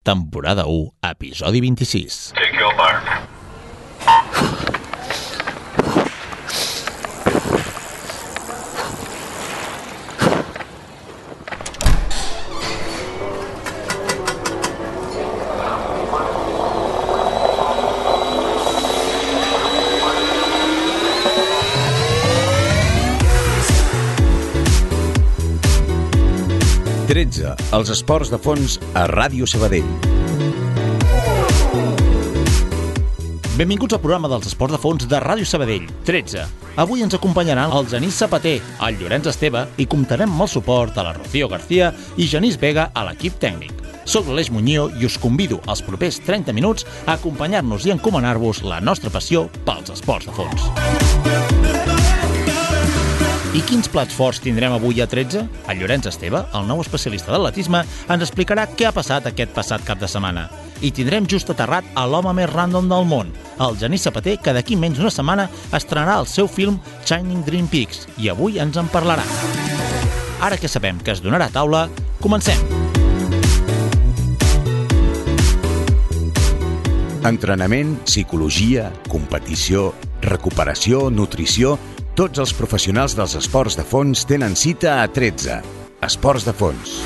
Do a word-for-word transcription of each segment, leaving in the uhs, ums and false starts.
temporada u, episodi vint-i-sis. Take your mark. tretze. Els esports de fons a Ràdio Sabadell. Benvinguts al programa dels esports de fons de Ràdio Sabadell, tretze. Avui ens acompanyaran el Genís Zapater, el Llorenç Esteve i comptarem amb el suport a la Rocío García i Genís Vega a l'equip tècnic. Soc l'Aleix Muñoz i us convido als propers trenta minuts a acompanyar-nos i encomanar-vos la nostra passió pels esports de fons. I quins plats forts tindrem avui a tretze? El Llorenç Esteve, el nou especialista d'atletisme, ens explicarà què ha passat aquest passat cap de setmana. I tindrem just aterrat a l'home més random del món, el Genís Zapater, que d'aquí menys d'una setmana estrenarà el seu film Shining Dream Peaks, i avui ens en parlarà. Ara que sabem que es donarà taula, comencem! Entrenament, psicologia, competició, recuperació, nutrició... Tots els professionals dels esports de fons tenen cita a tretze. Esports de fons.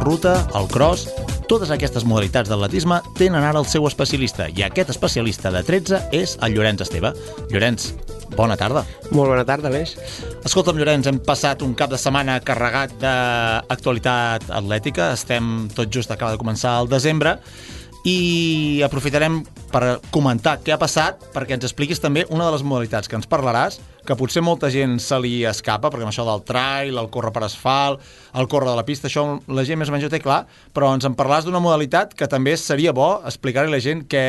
Ruta, el cross... Totes aquestes modalitats d'atletisme tenen ara el seu especialista, i aquest especialista de tretze és el Llorenç Esteve. Llorenç, bona tarda. Molt bona tarda, Aleix. Escolta'm, Llorenç, hem passat un cap de setmana carregat d'actualitat atlètica. Estem tot just acaba de començar el desembre i aprofitarem per comentar què ha passat perquè ens expliquis també una de les modalitats que ens parlaràs, que potser molta gent se li escapa, perquè amb això del trail, el córrer per asfalt, el córrer de la pista, això la gent més o menys ho té clar, però ens en parlaràs d'una modalitat que també seria bo explicar-li a la gent què,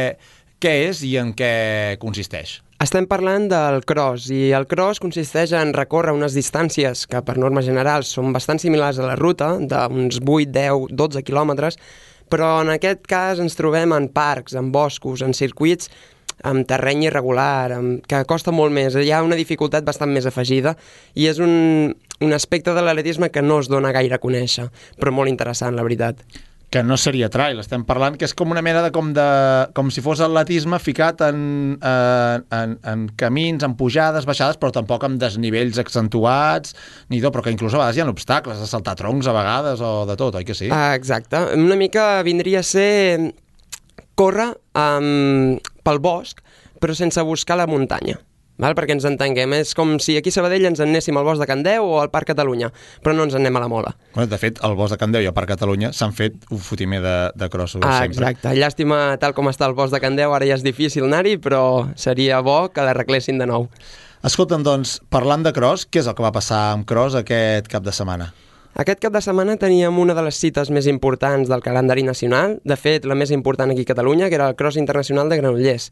què és i en què consisteix. Estem parlant del cross, i el cross consisteix en recórrer unes distàncies que per norma general són bastant similars a la ruta, d'uns vuit, deu, dotze quilòmetres, però en aquest cas ens trobem en parcs, en boscos, en circuits, amb terreny irregular, amb, que costa molt més. Hi ha una dificultat bastant més afegida i és un, un aspecte de l'atletisme que no es dona gaire a conèixer, però molt interessant, la veritat. Que no seria trail, estem parlant que és com una mena de com, de, com si fos atletisme ficat en, en, en, en camins, en pujades, baixades, però tampoc amb desnivells accentuats, ni tot, però que inclús a vegades hi ha obstacles, a saltar troncs a vegades o de tot, oi que sí? Ah, exacte. Una mica vindria a ser córrer um, pel bosc, però sense buscar la muntanya. Val? Perquè ens entenguem, és com si aquí a Sabadell ens anéssim al bosc de Can Deu o al Parc Catalunya, però no ens en anem a la Mola. Bueno, de fet, al bosc de Can Deu i al Parc Catalunya s'han fet un fotimer de, de crossos ah, sempre. Exacte, llàstima tal com està el bosc de Can Deu, ara ja és difícil anar-hi, però seria bo que l'arreglessin de nou. Escolta'm, doncs, parlant de cross, què és el que va passar amb cross aquest cap de setmana? Aquest cap de setmana teníem una de les cites més importants del calendari nacional, de fet, la més important aquí a Catalunya, que era el Cross Internacional de Granollers.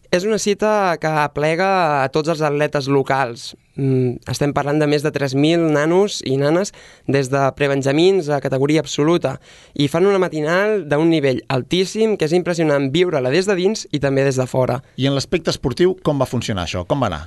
És una cita que aplega a tots els atletes locals. Estem parlant de més de tres mil nanos i nanes des de prebenjamins a categoria absoluta i fan una matinal d'un nivell altíssim que és impressionant viure-la des de dins i també des de fora. I en l'aspecte esportiu, com va funcionar això? Com va anar?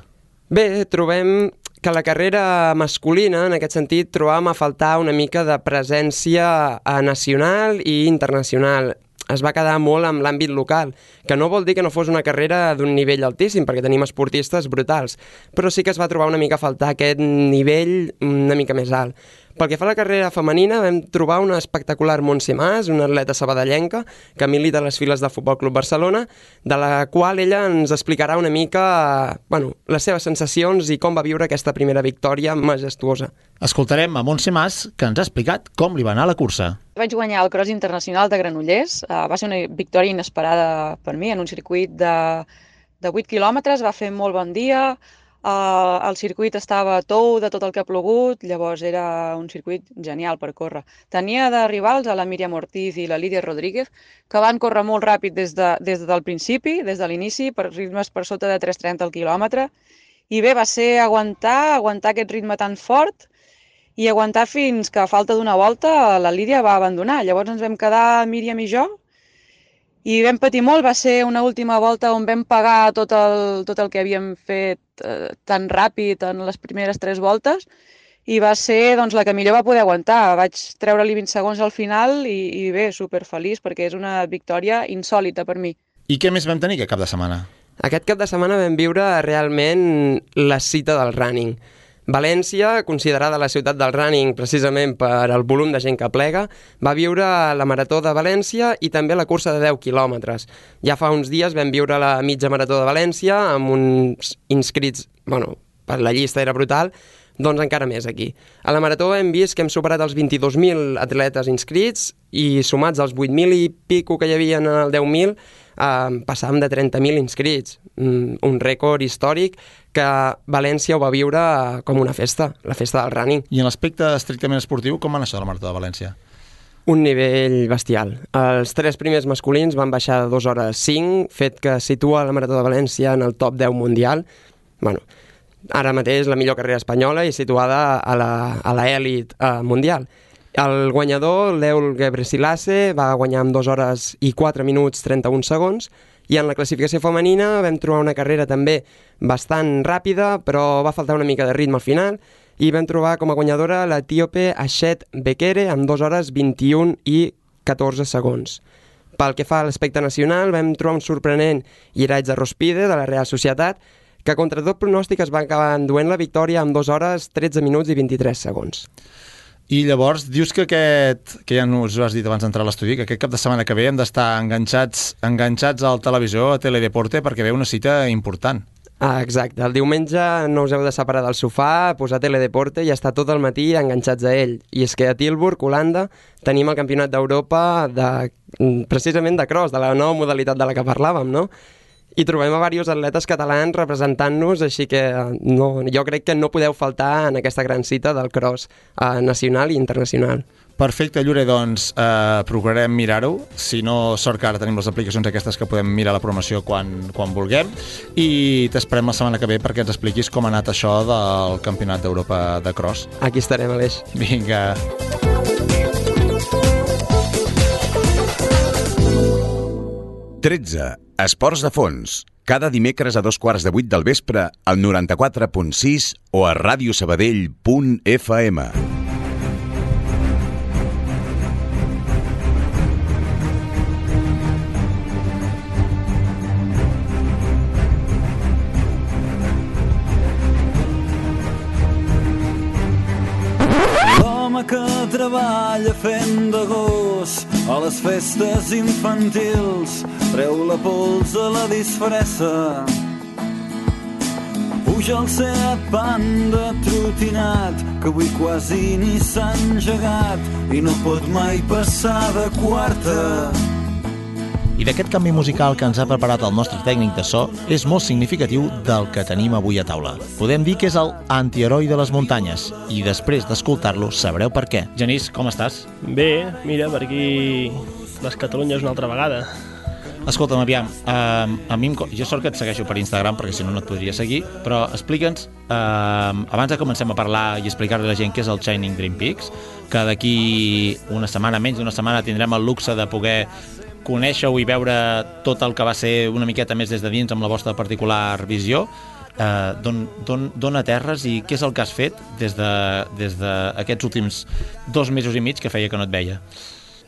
Bé, trobem que la carrera masculina, en aquest sentit, trobàvem a faltar una mica de presència nacional i internacional. Es va quedar molt amb l'àmbit local, que no vol dir que no fos una carrera d'un nivell altíssim, perquè tenim esportistes brutals, però sí que es va trobar una mica a faltar aquest nivell una mica més alt. Pel que fa a la carrera femenina, vam trobar una espectacular Montse Mas, una atleta sabadellenca que milita a les files del Futbol Club Barcelona, de la qual ella ens explicarà una mica bueno, les seves sensacions i com va viure aquesta primera victòria majestuosa. Escoltarem a Montse Mas, que ens ha explicat com li va anar la cursa. Vaig guanyar el Cross Internacional de Granollers. Uh, va ser una victòria inesperada per mi en un circuit de, de vuit quilòmetres. Va fer molt bon dia. Uh, el circuit estava tou de tot el que ha plogut, llavors era un circuit genial per córrer. Tenia de rivals a la Míriam Ortiz i la Lídia Rodríguez, que van córrer molt ràpid des, de, des del principi, des de l'inici, per ritmes per sota de tres trenta al quilòmetre, I bé, va ser aguantar, aguantar aquest ritme tan fort i aguantar fins que a falta d'una volta la Lídia va abandonar. Llavors ens vam quedar Míriam i jo i vam patir molt. Va ser una última volta on vam pagar tot el, tot el que havíem fet eh, tan ràpid en les primeres tres voltes i va ser doncs, la que millor va poder aguantar. Vaig treure-li vint segons al final i, i bé, superfeliç perquè és una victòria insòlita per mi. I què més vam tenir aquest cap de setmana? Aquest cap de setmana vam viure realment la cita del running. València, considerada la ciutat del running precisament per el volum de gent que plega, va viure la Marató de València i també la cursa de deu quilòmetres. Ja fa uns dies vam viure la mitja Marató de València amb uns inscrits, bueno, per la llista era brutal, doncs encara més aquí. A la Marató hem vist que hem superat els vint-i-dos mil atletes inscrits i sumats als vuit mil i pico que hi havia en el deu mil, eh, passàvem de trenta mil inscrits. Un rècord històric que València ho va viure com una festa, la festa del running. I en l'aspecte estrictament esportiu, com va anar això de la Marató de València? Un nivell bestial. Els tres primers masculins van baixar de dos hores cinc, fet que situa la Marató de València en el top deu mundial. Bueno, ara mateix la millor carrera espanyola i situada a l'elit mundial. El guanyador, l'Eul Gebrselassie, va guanyar amb dos hores i quatre minuts trenta-un segons, i en la classificació femenina vam trobar una carrera també bastant ràpida, però va faltar una mica de ritme al final, i vam trobar com a guanyadora l'etíope Ashet Bekele amb dos hores vint-i-un i catorze segons. Pel que fa a l'aspecte nacional, vam trobar un sorprenent Iraitza Rospide, de la Real Societat, que contra tot pronòstic es va acabar enduent la victòria amb dos hores, tretze minuts i vint-i-tres segons. I llavors dius que aquest, que ja us ho has dit abans d'entrar a l'estudi, que aquest cap de setmana que ve hem d'estar enganxats, enganxats al televisor, a Teledeporte, perquè ve una cita important. Ah, exacte. El diumenge no us heu de separar del sofà, posar Teledeporte i estar tot el matí enganxats a ell. I és que a Tilburg, Holanda, tenim el Campionat d'Europa de, precisament de cross, de la nova modalitat de la que parlàvem, no? I trobem a diversos atletes catalans representant-nos, així que no, jo crec que no podeu faltar en aquesta gran cita del cross eh, nacional i internacional. Perfecte, Llure, doncs eh, procurarem mirar-ho. Si no, sort que ara tenim les aplicacions aquestes que podem mirar la programació quan, quan vulguem, i t'esperem la setmana que ve perquè ens expliquis com ha anat això del Campionat d'Europa de cross. Aquí estarem, Aleix. Vinga. tretze. Esports de fons. Cada dimecres a dos quarts de vuit del vespre al noranta-quatre punt sis o a radiosabadell punt f m. L'home que treballa fent de gos a les festes infantils treu la pols a la disfressa. Puja el Seat Panda trotinat que avui quasi ni s'ha engegat i no pot mai passar de quarta. I d'aquest canvi musical que ens ha preparat el nostre tècnic de so és molt significatiu del que tenim avui a taula. Podem dir que és el antiheroi de les muntanyes i després d'escoltar-lo sabreu per què. Genís, com estàs? Bé, mira, per aquí les Catalunyes una altra vegada. Escolta'm, aviam, uh, a mi em, jo sort que et segueixo per Instagram perquè si no no et podria seguir, però explica'ns, uh, abans de comencem a parlar i explicar-li a la gent què és el Shining Dream Peaks, que d'aquí una setmana, menys d'una setmana, tindrem el luxe de poder conèixer-ho i veure tot el que va ser una miqueta més des de dins amb la vostra particular visió. Uh, d'on aterres i què és el que has fet des d'aquests de, des de últims dos mesos i mig que feia que no et veia?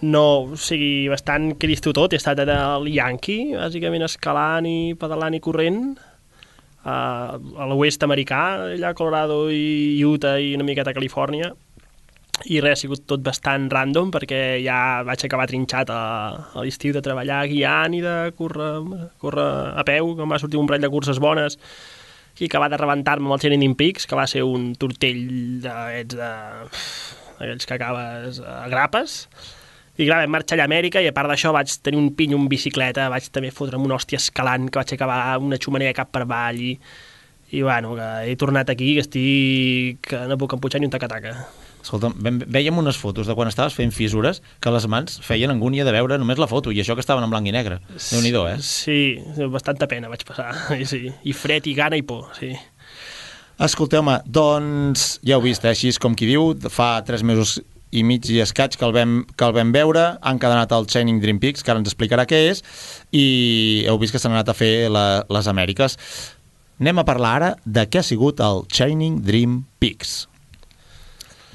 No, o sigui, bastant cristo tot. He estat al Yankee, bàsicament escalant i pedalant i corrent, uh, a l'oest americà, allà a Colorado i Utah i una miqueta a Califòrnia, i res, ha sigut tot bastant random perquè ja vaig acabar trinxat a, a l'estiu de treballar guiant i de córrer, córrer a peu, que em va sortir un parell de curses bones i acabar de rebentar-me amb el Shining Peaks, que va ser un tortell d'aquests de... aquells que acabes a grapes. I clar, vam marxar allà a Amèrica i a part d'això vaig tenir un pinyo en bicicleta, vaig també fotre'm una hòstia escalant, que vaig acabar una xumanera cap per avall i, i bueno, que he tornat aquí, que estic... que no puc empujar ni un taca-taca. Escolta, vèiem unes fotos de quan estaves fent fissures que les mans feien angúnia de veure només la foto, i això que estaven en blanc i negre. Déu-n'hi-do, eh? Sí, bastanta pena vaig passar, sí. I fred i gana i por, sí. Escolteu-me, doncs ja heu vist, eh? Així és com qui diu, fa tres mesos i mig i escaig que el vam, que el vam veure, han encadenat el Shining Dream Peaks, que ara ens explicarà què és, i heu vist que s'han anat a fer la, les Amèriques. Anem a parlar ara de què ha sigut el Shining Dream Peaks.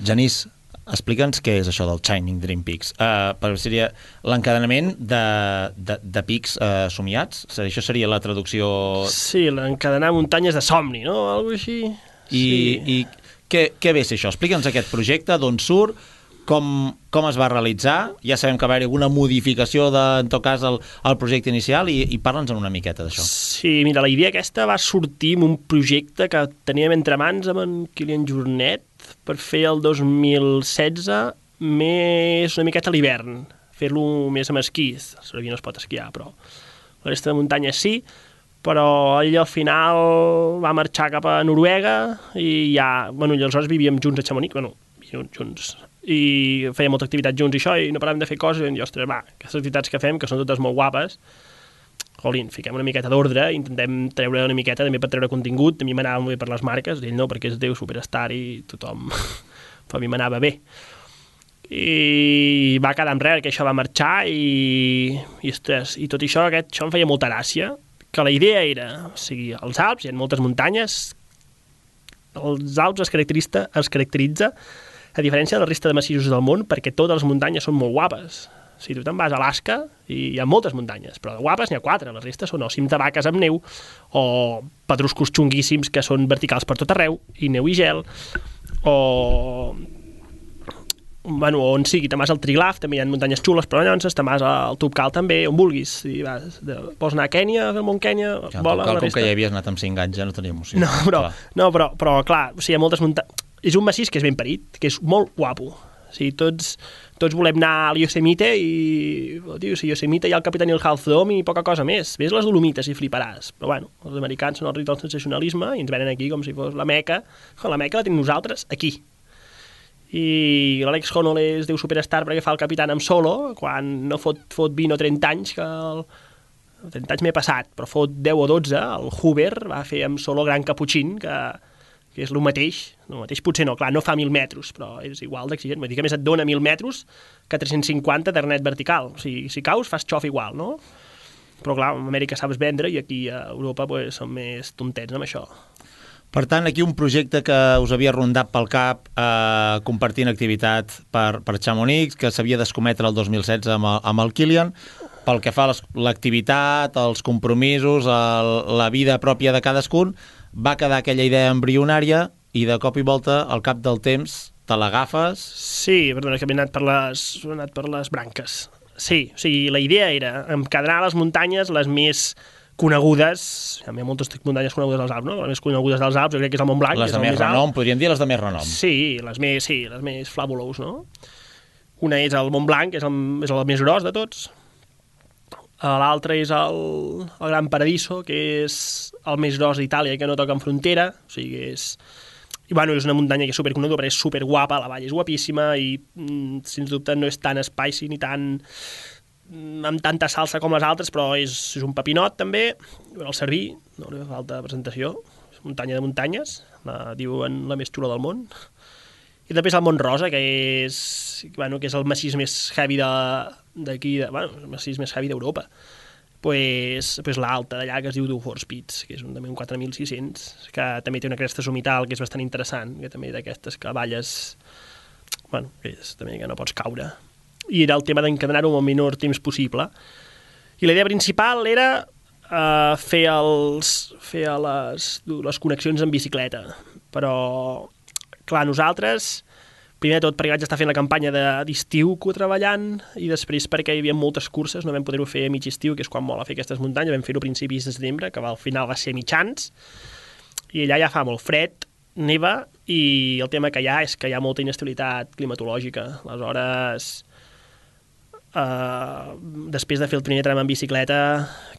Genís, explica'ns què és això del Shining Dream Peaks. Uh, però seria l'encadenament de, de, de pics uh, somiats? Això seria la traducció... Sí, l'encadenar muntanyes de somni, no? Algo així. I, sí. i què, què ve ser això? Explica'ns aquest projecte, d'on surt, com, com es va realitzar. Ja sabem que va haver alguna modificació de, en tot cas, el, el projecte inicial, i, i parla'ns una miqueta d'això. Sí, mira, la idea aquesta va sortir amb un projecte que teníem entre mans amb en Kilian Jornet per fer el dos mil setze més una miqueta a l'hivern, fer-lo més amb esquís. A Cervera no es pot esquiar, però la resta de muntanyes sí, però ell al final va marxar cap a Noruega i ja, bueno, i aleshores vivíem junts a Chamonix, bueno, vivíem junts, i fèiem molta activitat junts i això, i no paràvem de fer coses, i vam dir, ostres, va, aquestes activitats que fem, que són totes molt guapes, jolín, fiquem una miqueta d'ordre, intentem treure una miqueta també per treure contingut. A mi m'anava molt bé per les marques, ell no, perquè és Déu superstar i tothom, però a mi m'anava bé. I va quedar en res, que això va marxar i, i, ostres, i tot això, aquest, això em feia molta gràcia, que la idea era, o sigui, als Alps hi ha moltes muntanyes, els Alps es caracteritza, es caracteritza a diferència de la resta de massissos del món, perquè totes les muntanyes són molt guapes. Si tu te'n vas a Alaska, i hi ha moltes muntanyes, però de guapes n'hi ha quatre, la resta són o cims de vaques amb neu, o pedruscos xunguíssims que són verticals per tot arreu, i neu i gel, o... bueno, on sigui, te'n vas al Triglav, també hi ha muntanyes xules, però llavors te'n vas al Tubcal també, on vulguis. Si vas, de, vols anar a Kènia, al Mont Kènia, ja, vola, Tubcal, la resta... com que ja havies anat amb cinc anys, ja no tenia emoció. No, però, no, però, però clar, o sigui, hi ha moltes muntanyes... És un massís que és ben parit, que és molt guapo. O sigui, tots, tots volem anar a Yosemite i... Oh, tio, si Yosemite hi ha el Capitani el Half Dome i poca cosa més. Ves les Dolomites i fliparàs. Però bueno, els americans són el rit del sensacionalisme i ens venen aquí com si fos la Meca. La Meca la tenim nosaltres aquí. I l'Àlex Honnold és Déu superstar perquè fa el Capitán amb solo, quan no fot, fot vint o trenta anys, que el... trenta anys m'he passat, però fot deu o dotze, el Hoover va fer amb solo Gran Caputxín, que... que és el mateix, el mateix potser no, clar, no fa mil metres, però és igual d'exigent, vull dir que més et dona mil metres que tres-cents cinquanta d'arnet vertical, o sigui, si caus fas xof igual, no? Però clar, a Amèrica saps vendre i aquí a Europa pues, són més tontets amb això. Per tant, aquí un projecte que us havia rondat pel cap eh, compartint activitat per, per Chamonix, que s'havia d'escometre el dos mil setze amb el, amb el Kilian, pel que fa a l'activitat, els compromisos, el, la vida pròpia de cadascun, va quedar aquella idea embrionària i de cop i volta, al cap del temps, te l'agafes... Sí, perdona, que m'he anat per les, he anat per les branques. Sí, o sigui, la idea era encadenar les muntanyes les més conegudes, hi ha moltes muntanyes conegudes dels Alps, no? Les més conegudes dels Alps, jo crec que és el Mont Blanc. Les de més renom, podríem dir les de més renom. Sí, les més, sí, les més fabulous, no? Una és el Mont Blanc, que és el, és el més gros de tots. L'altre és el, el Gran Paradiso, que és el més gros d'Itàlia i que no toca en frontera, o sigui, és... I, bueno, és una muntanya que és superconeguda, però és superguapa, la vall és guapíssima i, mm, sens dubte, no és tan spicy ni tan... amb tanta salsa com les altres, però és, és un papinot, també. El Cerví, no li fa falta presentació, és muntanya de muntanyes, la diuen la més xula del món. I després el Mont Rosa, que és, bueno, que és el massís més heavy d'aquí, de, bueno, el massís més heavy d'Europa. Pues, pues l'alta d'allà, que es diu Dufors Peaks, que és un, també un quatre mil sis-cents, que també té una cresta somital que és bastant interessant, que també d'aquestes que balles, bueno, que és també que no pots caure. I era el tema d'encadenar-ho amb el menor temps possible. I la idea principal era uh, fer, els, fer les, les connexions en bicicleta, però... Clar, nosaltres, primer de tot perquè vaig estar fent la campanya d'estiu treballant i després perquè hi havia moltes curses, no vam poder-ho fer a mig estiu, que és quan mola fer aquestes muntanyes, vam fer-ho a principis de setembre, que al final va ser mitjans, i allà ja fa molt fred, neva, i el tema que hi ha és que hi ha molta inestabilitat climatològica. Aleshores, eh, després de fer el primer tram en bicicleta,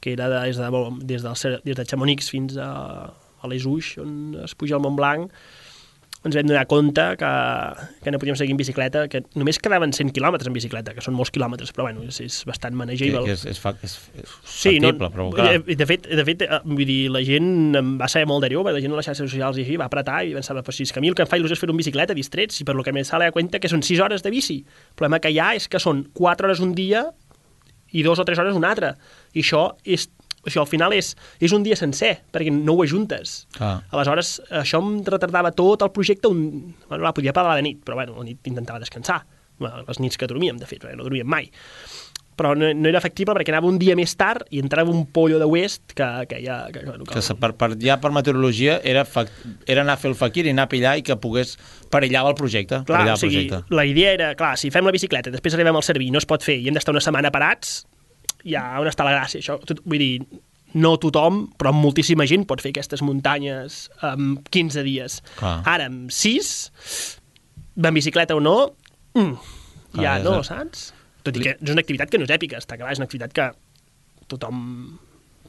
que era de, des, de, des, del, des de Chamonix fins a, a les Uix, on es puja al Mont Blanc, ens vam donar compte que, que no podíem seguir en bicicleta, que només quedaven cent quilòmetres en bicicleta, que són molts quilòmetres, però bueno, és, és bastant manageable. Que, que és, és, fa, és, és sí, factible, no, però clar. De fet, de fet, vull dir, la gent em va saber molt d'allò, la gent a les xarxes socials i així va apretar i pensava, pues, si és que a mi el que em fa il·lusió és fer un bicicleta distrets, i per lo que me sale a cuenta que són sis hores de bici. El problema que hi ha és que són quatre hores un dia i dos o tres hores un altre. I això és això al final és, és un dia sencer, perquè no ho ajuntes. Ah. Aleshores, això em retardava tot el projecte. Un... Bueno, la podia parlar de nit, però bueno, a nit intentava descansar. Les nits que dormíem, de fet, perquè no dormíem mai. Però no, no era factible perquè anava un dia més tard i entrava un pollo de West que, que ja... Que, que, que, que per, per, ja per meteorologia era, fa, era anar a fer el faquir i anar a pillar i que pogués perillava el projecte. Clar, el o sigui, projecte. La idea era, clar, si fem la bicicleta, després arribem al Cerví, no es pot fer i hem d'estar una setmana parats, ja on està la gràcia? Això, tot, vull dir, no tothom, però moltíssima gent pot fer aquestes muntanyes en quinze dies. Clar. Ara, amb sis, en bicicleta o no, mm, Clar, ja no, és... saps? Tot i que és una activitat que no és èpica, està clar, és una activitat que tothom,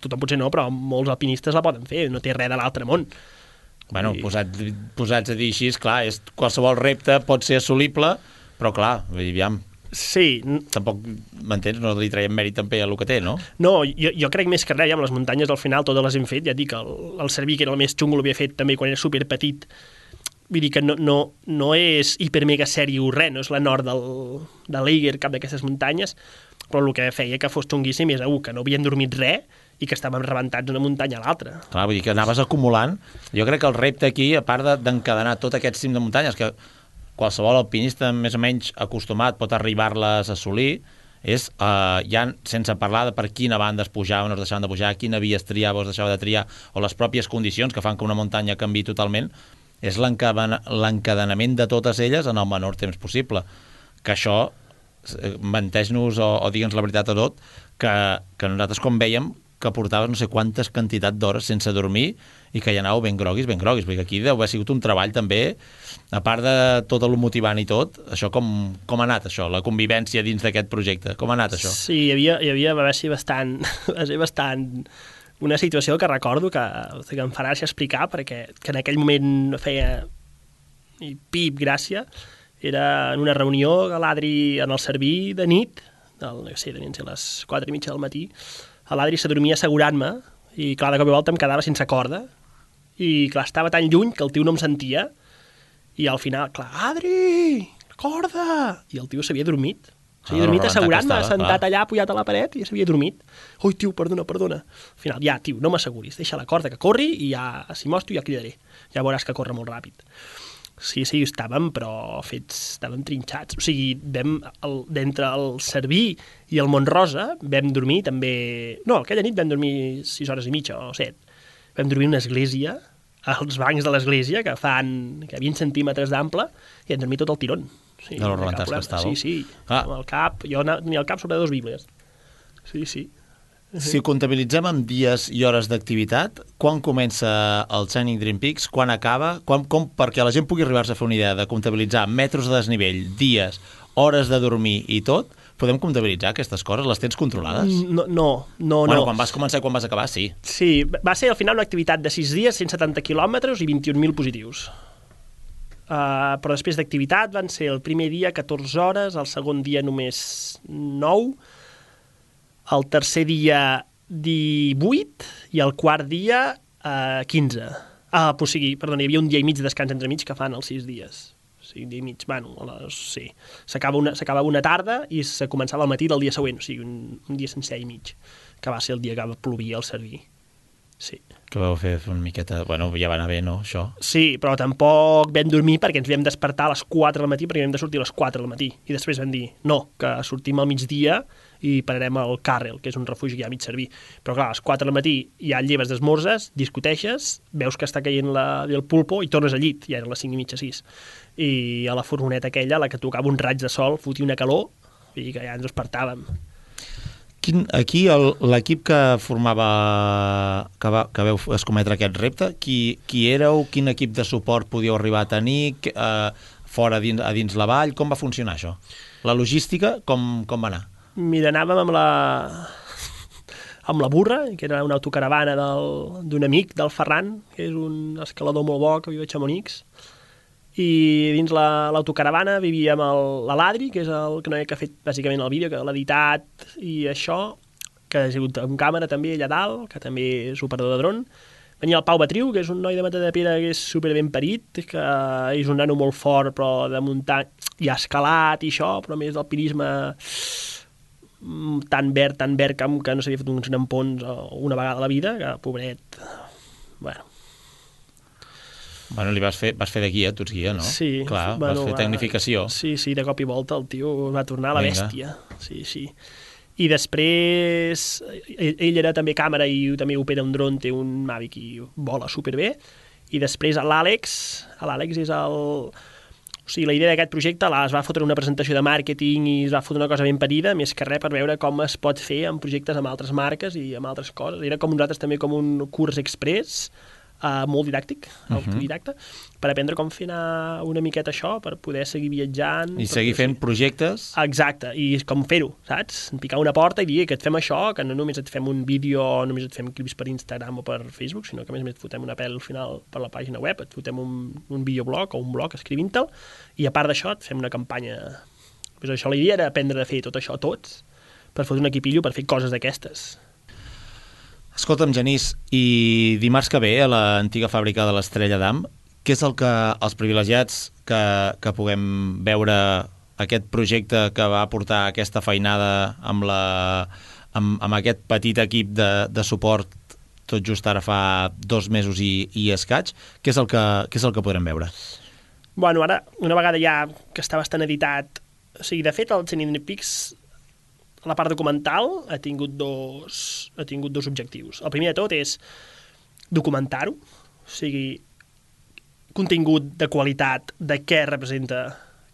tothom potser no, però molts alpinistes la poden fer, no té res de l'altre món. Bueno, I... posats, posats a dir així, clar, és, qualsevol repte pot ser assolible, però clar, vull dir, aviam, sí. Tampoc, m'entens? No li traiem mèrit també a el que té, no? No, jo, jo crec més que res, ja amb les muntanyes al final totes les hem fet, ja et dic, el, el Cerví, que era el més xungo, l'havia fet també quan era superpetit. Vull dir que no, no, no és hiper mega sèrio res, no és la nord del, de l'Eiger, cap d'aquestes muntanyes, però el que feia que fos xunguíssim és uh, que no havien dormit res i que estàvem rebentats d'una muntanya a l'altra. Clar, vull dir que anaves acumulant. Jo crec que el repte aquí, a part d'encadenar tot aquest cim de muntanyes, que qualsevol alpinista més o menys acostumat pot arribar-les a assolir, és, eh, ja sense parlar de per quina banda es pujaven o es deixaven de pujar, quina via es triava o es deixava de triar, o les pròpies condicions que fan que una muntanya canviï totalment, és l'encadenament de totes elles en el menor temps possible. Que això, menteix-nos o, o digue'ns la veritat a tot, que, que nosaltres com vèiem que portaves no sé quantes quantitat d'hores sense dormir i que hi anàveu ben groguis, ben groguis, perquè aquí deu haver sigut un treball també, a part de tot el motivant i tot, això com, com ha anat això, la convivència dins d'aquest projecte, com ha anat això? Sí, hi havia, hi havia va ser bastant, va ser bastant una situació que recordo que, que em farà explicar, perquè que en aquell moment feia i pip, gràcia, era en una reunió a l'Adri en el Cerví de nit, del, no sé, devien ser les quatre i mitja del matí, a l'Adri s'adormia assegurant-me i clar, de cop i volta em quedava sense corda i clar, estava tan lluny que el tio no em sentia i al final, clar, Adri, corda! I el tio s'havia dormit. S'havia dormit assegurant-me, sentat allà, apujat a la paret i s'havia dormit. Ui, tio, perdona, perdona. Al final, ja, tio, no m'asseguris, deixa la corda que corri i ja, si mostro, ja cridaré. Ja veuràs que corre molt ràpid. Sí, sí, estàvem, però fets, estàvem trinxats. O sigui, vam, el, d'entre el Cerví i el Montrosa, vam dormir també... No, aquella nit vam dormir sis hores i mitja o set. Vam dormir en una església, als bancs de l'església, que fan que vint centímetres d'ample, i vam dormir tot el tirón. Sí, de los rebentats que estàveu. Sí, sí, ah. amb el cap, jo tenia el cap sobre dos bíblies. Sí, sí. Si ho comptabilitzem amb dies i hores d'activitat, quan comença el Shining Dream Peaks, quan acaba, quan, com, perquè la gent pugui arribar-se a fer una idea de comptabilitzar metres de desnivell, dies, hores de dormir i tot, podem comptabilitzar aquestes coses? Les tens controlades? No, no, no. Bueno, no. quan vas començar i quan vas acabar, sí. Sí, va ser al final una activitat de sis dies, cent setanta quilòmetres i vint-i-un mil positius. Uh, però després d'activitat van ser el primer dia catorze hores, el segon dia només nou, el tercer dia divuit i el quart dia eh, quinze. Ah, o sigui, perdona, hi havia un dia i mig de descans entre mig que fan els sis dies. O sigui, un dia i mig, bueno, les, sí. S'acaba una, s'acaba una tarda i se començava al matí del dia següent, o sigui, un, un dia sencer i mig, que va ser el dia que plovia al Cerví. Sí. Que vau fer una miqueta... Bueno, ja va anar bé, no, això? Sí, però tampoc vam dormir perquè ens vam despertar a les quatre del matí perquè vam de sortir a les quatre del matí. I després vam dir, no, que sortim al migdia i pararem al Carrel, que és un refugi que hi ha a mig Cerví. Però clar, a les quatre del matí ja lleves d'esmorzes, discuteixes, veus que està caient la, el pulpo i tornes al llit. Ja eren les cinc i mitja, sis. I a la furgoneta aquella, la que tocava un raig de sol, fotia una calor i que ja ens despertàvem. Quin, aquí l'equip que formava, que, va, que veu escometre aquest repte, qui, qui éreu, quin equip de suport podíeu arribar a tenir, eh, fora dins, a dins la vall, com va funcionar això? La logística, com, com va anar? Mira, anàvem amb la, amb la burra, que era una autocaravana d'un amic, del Ferran, que és un escalador molt bo que viu a Chamonix, i dins la- l'autocaravana vivíem el- la l'Adri, que és el que, no que ha fet bàsicament el vídeo, que l'ha editat i això, que ha sigut amb càmera també allà dalt, que també és operador de dron. Venia el Pau Batriu, que és un noi de Matadepera que és super ben parit, que és un nano molt fort, però de muntar i ha escalat i això, però a més d'alpinisme tan verd, tan verd que, que no s'havia fet uns nampons una vegada a la vida, que pobret, bueno. Bueno, li vas fer, vas fer de guia, tu ets guia, no? Sí. Clar, bueno, vas fer tecnificació. Sí, sí, de cop i volta el tio va tornar a la Vinga. bèstia. Sí, sí. I després, ell, ell era també càmera i també opera un dron, té un Mavic i vola superbé. I després l'Àlex, l'Àlex és el... O sigui, la idea d'aquest projecte la, es va fotre una presentació de màrqueting i es va fotre una cosa ben parida, més que res per veure com es pot fer amb projectes amb altres marques i amb altres coses. Era com nosaltres també com un curs express, uh, molt didàctic, autodidacte, per aprendre com fer anar una miqueta això, per poder seguir viatjant. I seguir fent projectes. Exacte, i com fer-ho, saps? Picar una porta i dir que et fem això, que no només et fem un vídeo, no només et fem clips per Instagram o per Facebook, sinó que a més a més et fotem una pel al final per la pàgina web, et fotem un, un videoblog o un blog escrivint-te'l, i a part d'això et fem una campanya. Pues això, la idea era aprendre a fer tot això tots, per fotre un equipillo per fer coses d'aquestes. Escolta'm, Genís, i dimarts que ve a l'antiga fàbrica de l'Estrella d'Am, què és el que els privilegiats que, que puguem veure aquest projecte que va portar aquesta feinada amb, la, amb, amb aquest petit equip de, de suport tot just ara fa dos mesos i, i escaig, què és el que, què és el que podrem veure? Bueno, ara, una vegada ja que està bastant editat, o sigui, de fet, el Cinepics, la part documental, ha tingut dos, ha tingut dos objectius. El primer de tot és documentar-ho, o sigui, contingut de qualitat de què representa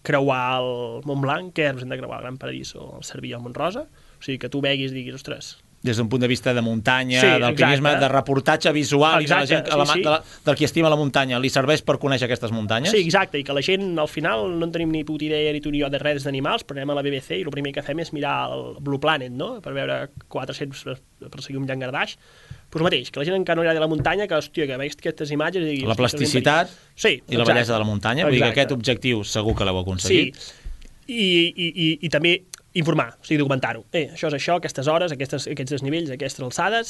creuar el Montblanc, què representa creuar el Gran París o el Cerví o el Montrosa, o sigui, que tu veguis i diguis, ostres, des d'un punt de vista de muntanya, sí, d'alpinisme, de reportatge visual, exacte, i de la gent, sí, la, sí. de la, del qui estima la muntanya, li serveix per conèixer aquestes muntanyes? Sí, exacte, i que la gent, al final, no en tenim ni puta idea ni tu ni jo de res d'animals, però anem a la B B C i el primer que fem és mirar el Blue Planet, no?, per veure quatre-cents per, per seguir un llangardaix. Pues el mateix, que la gent encara no agrada la muntanya, que, hòstia, que veus aquestes imatges i diguis... La plasticitat sí, i la bellesa de la muntanya, vull dir que aquest objectiu segur que l'heu aconseguit. Sí, i, i, i, i també informar, o sigui, documentar-ho. Eh, això és això, aquestes hores, aquestes, aquests desnivells, aquestes alçades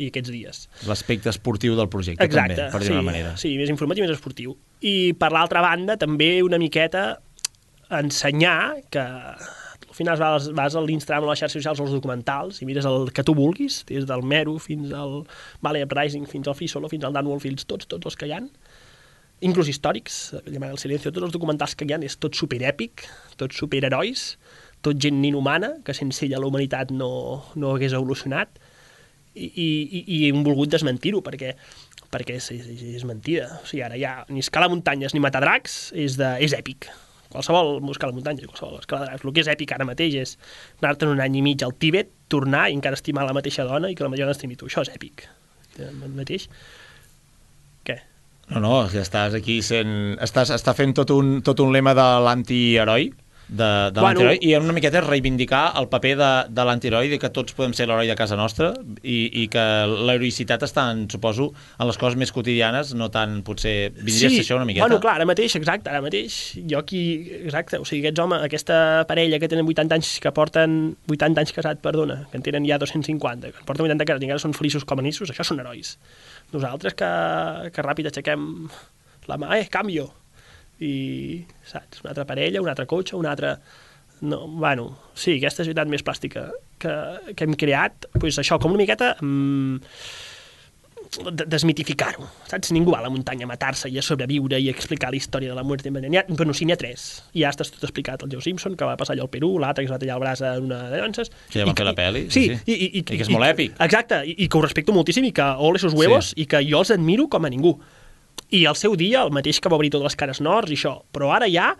i aquests dies. L'aspecte esportiu del projecte, exacte, també, per dir-ho sí, d'una manera. Sí, més informatiu i més esportiu. I per l'altra banda, també una miqueta ensenyar que al final vas, vas a l'Instagram o a les xarxes socials o als documentals i mires el que tu vulguis, des del Meru fins al Valley Uprising, fins al Free Solo, fins al Dan Wolfields, tots, tots els que hi ha, inclús històrics, el Silencio, tots els documentals que hi ha, és tot superèpic, tots superherois, tot gent inhumana, que sense ella la humanitat no, no hagués evolucionat, i, i, i hem volgut desmentir-ho, perquè, perquè és, és, és mentida. O sigui, ara ja ni escalar muntanyes ni matar dracs és, de, és èpic. Qualsevol escalar muntanyes, qualsevol escalar dracs. El que és èpic ara mateix és anar-te'n un any i mig al Tíbet, tornar i encara estimar la mateixa dona i que la major dona estimi tu. Això és èpic. El mateix. Què? No, no, estàs aquí sent... Estàs, està fent tot un, tot un lema de l'antiheroi, de, de Bueno. l'antiheroi, i una miqueta és reivindicar el paper de, de l'antiheroi, de que tots podem ser l'heroi de casa nostra, i, i que l'heroïcitat està, en, suposo, en les coses més quotidianes, no tant, potser, vindria sí, a ser això una miqueta. Bueno, clar, ara mateix, exacte, ara mateix, jo aquí, exacte, o sigui, aquests homes, aquesta parella que tenen vuitanta anys, que porten vuitanta anys casats, perdona, que en tenen ja dos-cents cinquanta, que porten vuitanta casats i encara són feliços com a nissos, això són herois. Nosaltres que, que ràpid aixequem la mà, eh, canvio, i, saps, una altra parella, un altre cotxe, un altre... No, bueno, sí, aquesta societat més plàstica que, que hem creat, doncs això, com una miqueta mm, desmitificar-ho, saps? Ningú va a la muntanya a matar-se i a sobreviure i a explicar la història de la mort. Bueno, sí, n'hi ha tres. Ja està tot explicat. El Joe Simpson, que va passar allò al Perú, l'altre que es va tallar el braç en una de danses... Que ja van fer la pel·li. Sí, sí. I, i, i, I que és molt èpic. Exacte, i, i que ho respecto moltíssim i que ole sus huevos, Sí. i que jo els admiro com a ningú. I al seu dia, el mateix que va obrir totes les cares nords i això, però ara ja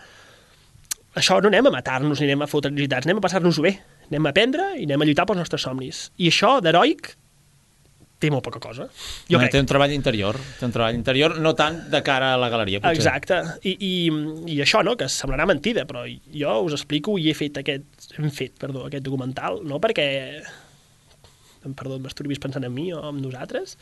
això no anem a matar-nos ni anem a fotre necessitats, anem a passar-nos-ho bé, anem a aprendre i anem a lluitar pels nostres somnis. I això d'heroic té molt poca cosa, jo no, crec. Té un treball interior, té un treball interior, no tant de cara a la galeria, potser. Exacte, I, i, i això, no?, que semblarà mentida, però jo us explico i he fet aquest, hem fet, perdó, aquest documental, no perquè, perdó, m'esturbis pensant en mi o en nosaltres,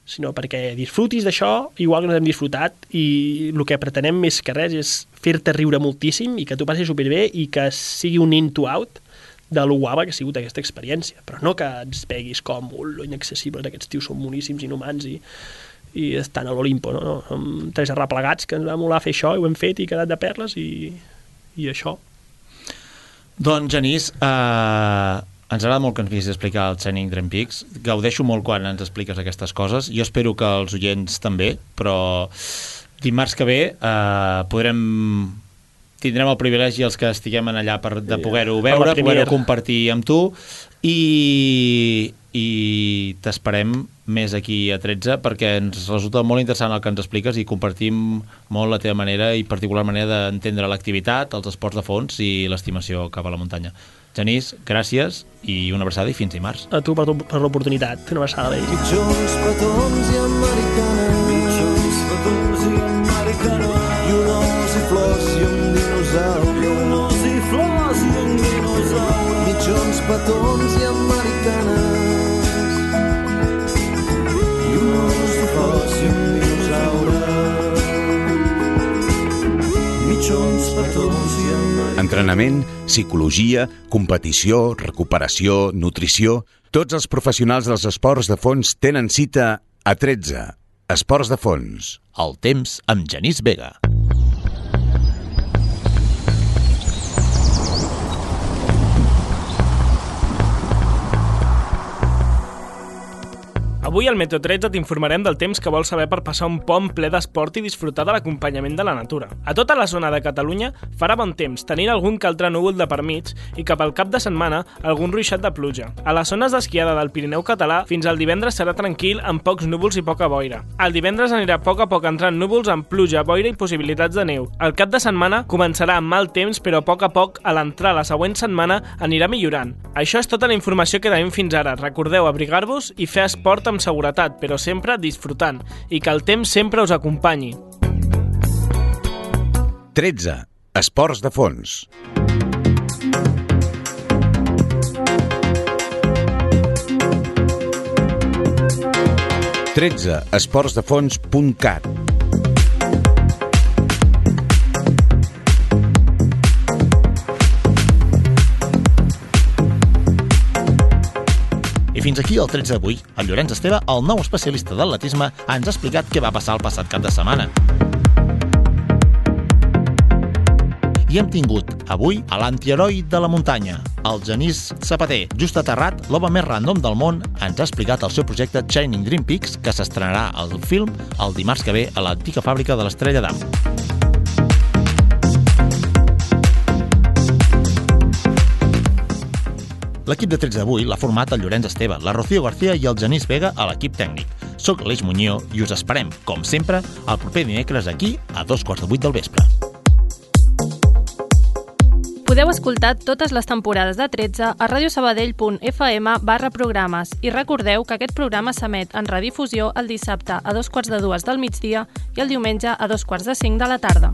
sinó perquè disfrutis d'això igual que ens hem disfrutat, i el que pretenem més que res és fer-te riure moltíssim i que tu passis superbé i que sigui un in to out de lo guapa que ha sigut aquesta experiència, però no que ens peguis com lo inaccessibles, aquests tios són moníssims, inhumans i, i estan a l'Olimpo, no? no? Som tres arreplegats que ens va molar fer això i ho hem fet i quedat de perles i, i això. Doncs, Genís, eh... ens agrada molt que ens vinguis a explicar el Shining Dream Peaks. Gaudeixo molt quan ens expliques aquestes coses. Jo espero que els oients també, però dimarts que ve eh, podrem... tindrem el privilegi els que estiguem allà per, de poder-ho veure, poder-ho compartir amb tu, i, i t'esperem més aquí a tretze perquè ens resulta molt interessant el que ens expliques i compartim molt la teva manera i particular manera d'entendre l'activitat, els esports de fons i l'estimació cap a la muntanya. Genís, gràcies i una abraçada i fins dimarts. A tu per, per l'oportunitat. Una abraçada. Mitjons, petons i americanes, mitjons, petons i americanes, i un os i flors i un dinosaure, i un os i flors i un dinosaure, mitjons, petons i americanes, i un os i flors i un dinosaure, mitjons, petons i americanes. Entrenament, psicologia, competició, recuperació, nutrició... Tots els professionals dels esports de fons tenen cita a tretze. Esports de fons. El temps amb Genís Vega. Avui al Meteo tretze t'informarem del temps que vols saber per passar un pont ple d'esport i disfrutar de l'acompanyament de la natura. A tota la zona de Catalunya farà bon temps, tenint algun que altre núvol de per mig i cap al cap de setmana algun ruixat de pluja. A les zones d'esquiada del Pirineu català fins al divendres serà tranquil amb pocs núvols i poca boira. El divendres anirà a poc a poc entrant núvols amb pluja, boira i possibilitats de neu. El cap de setmana començarà amb mal temps, però a poc a poc a l'entrar la següent setmana anirà millorant. Això és tota la informació que tenim fins ara. Recordeu abrigar-vos i fer esport amb seguretat, però sempre disfrutant, i que el temps sempre us acompanyi. tretze. Esports de fons. tretze. esports de fons punt cat. I fins aquí el tretze d'avui. El Llorenç Esteve, el nou especialista d'atletisme, ens ha explicat què va passar el passat cap de setmana. I hem tingut avui a l'antiheroi de la muntanya, el Genís Sabater, just aterrat, l'home més random del món, ens ha explicat el seu projecte Shining Dream Peaks, que s'estrenarà al film el dimarts que ve a l'antiga fàbrica de l'Estrella d'Am. L'equip de tretze d'avui l'ha format el Llorenç Esteve, la Rocío García i el Genís Vega a l'equip tècnic. Soc l'Eix Muñoz i us esperem, com sempre, el proper dimecres aquí a dos quarts de vuit del vespre. Podeu escoltar totes les temporades de tretze a radiosabadell punt f m barra programes i recordeu que aquest programa s'emet en redifusió el dissabte a dos quarts de dues del migdia i el diumenge a dos quarts de cinc de la tarda.